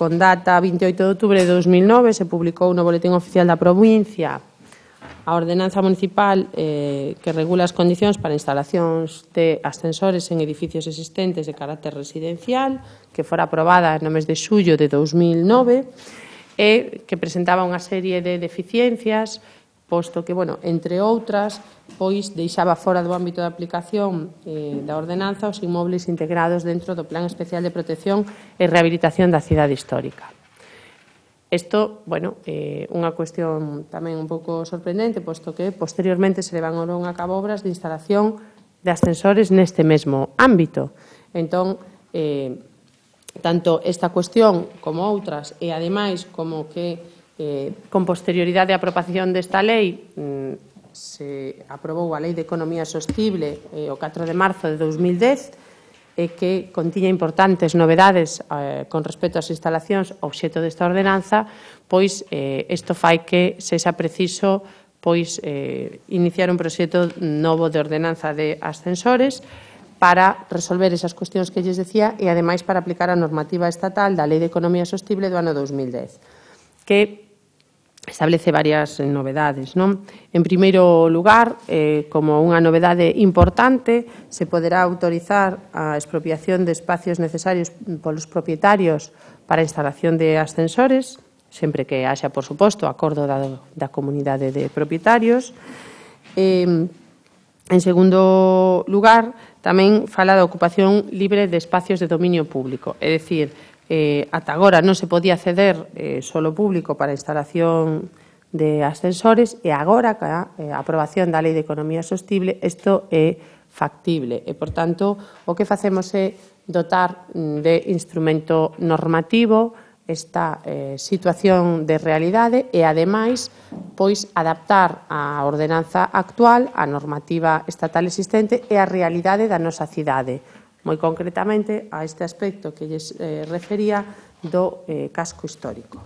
con data 28 de outubro de 2009, se publicou no Boletín Oficial da Provincia a ordenanza municipal que regula as condicións para instalacións de ascensores en edificios existentes de carácter residencial, que fora aprobada no mes de xullo de 2009, e que presentaba unha serie de deficiencias, posto que, entre outras, pois deixaba fora do ámbito de aplicación da ordenanza os inmobles integrados dentro do Plan Especial de Protección e Rehabilitación da Cidade Histórica. Isto, unha cuestión tamén un pouco sorprendente, posto que posteriormente se levaron a cabo obras de instalación de ascensores neste mesmo ámbito. Entón, tanto esta cuestión como outras, e ademais como que con posterioridade á aprobación desta lei se aprobou a Lei de Economía Sostible o 4 de marzo de 2010, e que contiña importantes novedades con respecto ás instalacións obxecto desta ordenanza, pois isto fai que sexa preciso iniciar un proxecto novo de ordenanza de ascensores para resolver esas cuestións que lles decía e, ademais, para aplicar a normativa estatal da Lei de Economía Sostible do ano 2010, que establece varias novedades. En primeiro lugar, como unha novedade importante, se poderá autorizar a expropiación de espacios necesarios polos propietarios para a instalación de ascensores, sempre que haxa, por suposto, acordo da comunidade de propietarios. En segundo lugar, tamén fala da ocupación libre de espacios de dominio público, é dicir, ata agora non se podía acceder solo público para a instalación de ascensores e agora, ca aprobación da Lei de Economía Sostible, isto é factible e, por tanto, o que facemos é dotar de instrumento normativo esta situación de realidade e, ademais, adaptar a ordenanza actual á normativa estatal existente e á realidade da nosa cidade, moi concretamente a este aspecto que lles refería do casco histórico.